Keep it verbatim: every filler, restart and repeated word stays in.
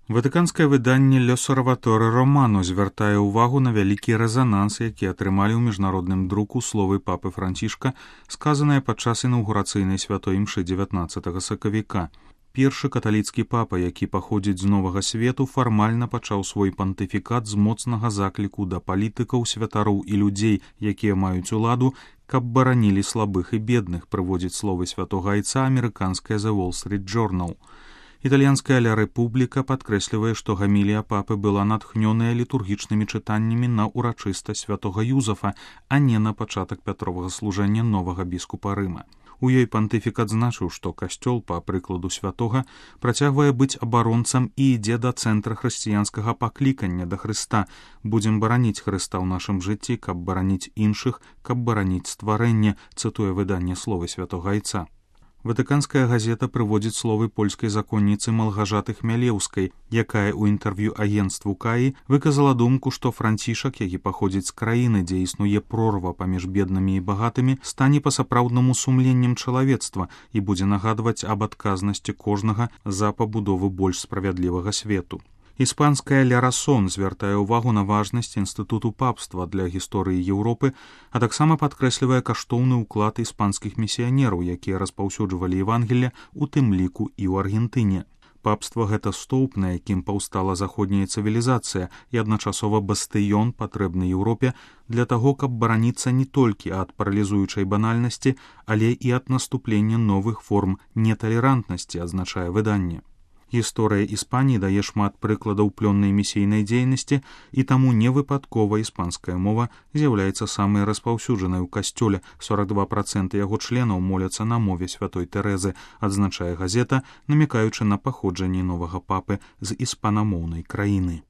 Ватыканскае выданне «L'Osservatore Romano» звяртае ўвагу на вялікі рэзананс, які атрымалі ў міжнародным друку словы папы Францішка, сказаныя падчас інаўгурацыйнай святой імшы дзевятнаццатага сакавіка. Першы каталіцкі папа, які паходзіць з новага свету, фармальна пачаў свой пантыфікат з моцнага закліку да палітыкаў, святароў і людзей, якія маюць уладу, каб баранілі слабых і бедных, прыводзіць словы святога айца амерыканская The Wall Street Journal. Італьянская «Ля Рэпубліка» падкрэслівае, што гамілія папы была натхнёная літургічнымі чытаннямі на ўрачыстасць святога Юзафа, а не на пачатак Пятровага служэння новага біскупа Рыма. У ёй пантыфік адзначыў, што касцёл, па прыкладу святога, працягвае быць абаронцам і ідзе да цэнтра хрысціянскага паклікання да Хрыста. Будзем бараніць Хрыста ў нашым жыцці, каб бараніць іншых, каб бараніць стварэнне, цытуе выданне словы святога айца. Ватыканская газета прыводзіць словы польскай законніцы Малгажаты Хмялеўскай, якая ў інтэрв'ю агенцтву Каі выказала думку, што Францішак, які паходзіць з краіны, дзе існуе прорва паміж беднымі і багатымі, стане па-сапраўднаму сумленнем чалавецтва і будзе нагадваць аб адказнасці кожнага за пабудову больш справядлівага свету. Іспанская «Ля Расон» звяртае ўвагу на важнасць інстытуту папства для гісторыі Еўропы, а таксама падкрэслівае каштоўны ўклад іспанскіх місіянераў, якія распаўсюджвалі Евангелле, у тым ліку і ў Аргентыне. Папства — гэта стоўп, на якім паўстала заходняя цывілізацыя і адначасова бастыён, патрэбны Еўропе для таго, каб бараніцца не толькі ад паралізуючай банальнасці, але і ад наступлення новых форм неталерантнасці, адзначае выданне. Гісторыя Іспаніі дае шмат прыкладаў плённай місійнай дзейнасці, і таму невыпадкова іспанская мова з'яўляецца самай распаўсюджанай у касцёле. сорок два працэнты яго членаў моляцца на мове святой Тэрэзы, адзначае газета, намякаючы на паходжанне новага папы з іспанамоўнай краіны.